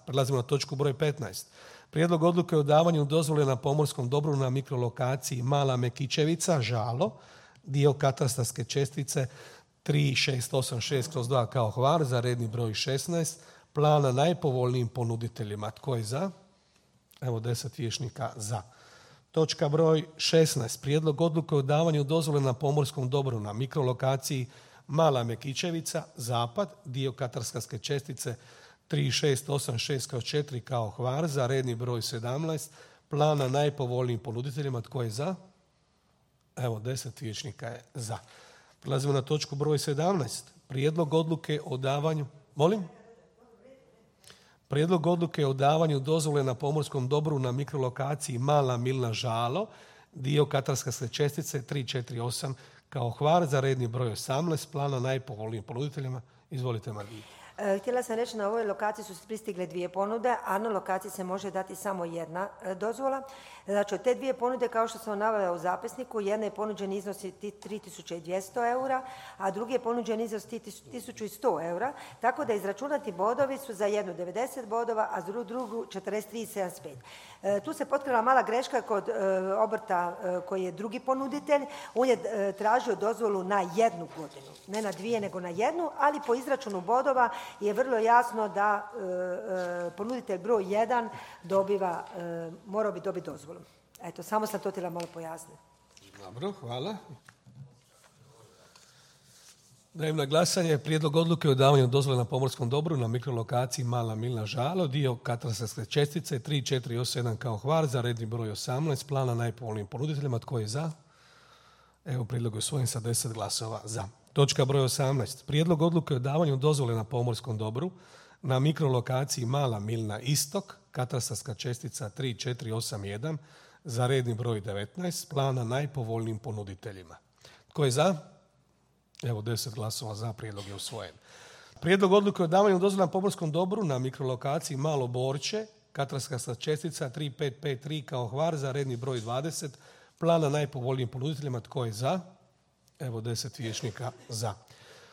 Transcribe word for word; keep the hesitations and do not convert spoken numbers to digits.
Prelazimo na točku broj petnaest. Prijedlog odluke o davanju dozvole na pomorskom dobru na mikrolokaciji Mala Mekićevica, Žalo, dio katastarske čestice tri šest osam šest kroz dva kao Hvar za redni broj šesnaest, plana najpovoljnijim ponuditeljima. Tko je za? Evo deset vijećnika za. Točka broj šesnaest. Prijedlog odluke o davanju dozvole na pomorskom dobru na mikrolokaciji Mala Mekićevica, Zapad, dio katastarske čestice tri šest osam šest kroz četiri kao Hvar za redni broj sedamnaest, plana najpovoljnijim ponuditeljima. Tko je za? Evo, deset vijećnika je za. Prelazimo na točku broj sedamnaest. Prijedlog odluke o davanju... Molim? Prijedlog odluke o davanju dozvole na pomorskom dobru na mikrolokaciji Mala Milna, Žalo, dio katastarske čestice tri četiri osam kao Hvar za redni broj osamnaest, plana najpovoljnijim ponuditeljima. Izvolite, Margita. Htjela sam reći, na ovoj lokaciji su pristigle dvije ponude, a na lokaciji se može dati samo jedna dozvola. Znači, od te dvije ponude, kao što sam navela u zapisniku, jedna je ponuđen iznos tri tisuće dvjesto eura, a drugi je ponuđen iznos tisuću sto eura, tako da izračunati bodovi su za jednu devedeset bodova, a za drugu četrdeset tri zarez sedamdeset pet. E, tu se potkrila mala greška kod e, obrta e, koji je drugi ponuditelj. On je e, tražio dozvolu na jednu godinu, ne na dvije, nego na jednu, ali po izračunu bodova je vrlo jasno da e, e, ponuditelj broj jedan dobiva, e, morao bi dobiti dozvolu. Eto, samo sam to htjela malo pojasniti. Dobro, hvala. Dajem na glasanje prijedlog odluke o davanju dozvole na pomorskom dobru na mikrolokaciji Mala Milna, Žalo, dio katastarske čestice tri četiri osam sedam kao Hvar za redni broj osamnaest, plana najpovoljnijim ponuditeljima. Tko je za? Evo, prijedlog je usvojen sa deset glasova za. Točka broj osamnaest. Prijedlog odluke o davanju dozvole na pomorskom dobru na mikrolokaciji Mala Milna, Istok, katastarska čestica tri četiri osam jedan za redni broj devetnaest, plana najpovoljnijim ponuditeljima. Tko je za? Evo, deset glasova za, prijedlog je usvojen. Prijedlog odluke o davanju dozvole na pomorskom dobru na mikrolokaciji Malo Borče, katastarska čestica tri pet pet tri kao Hvar za redni broj dvadeset, plana najpovoljnijim ponuditeljima. Tko je za? Evo, deset vijećnika za.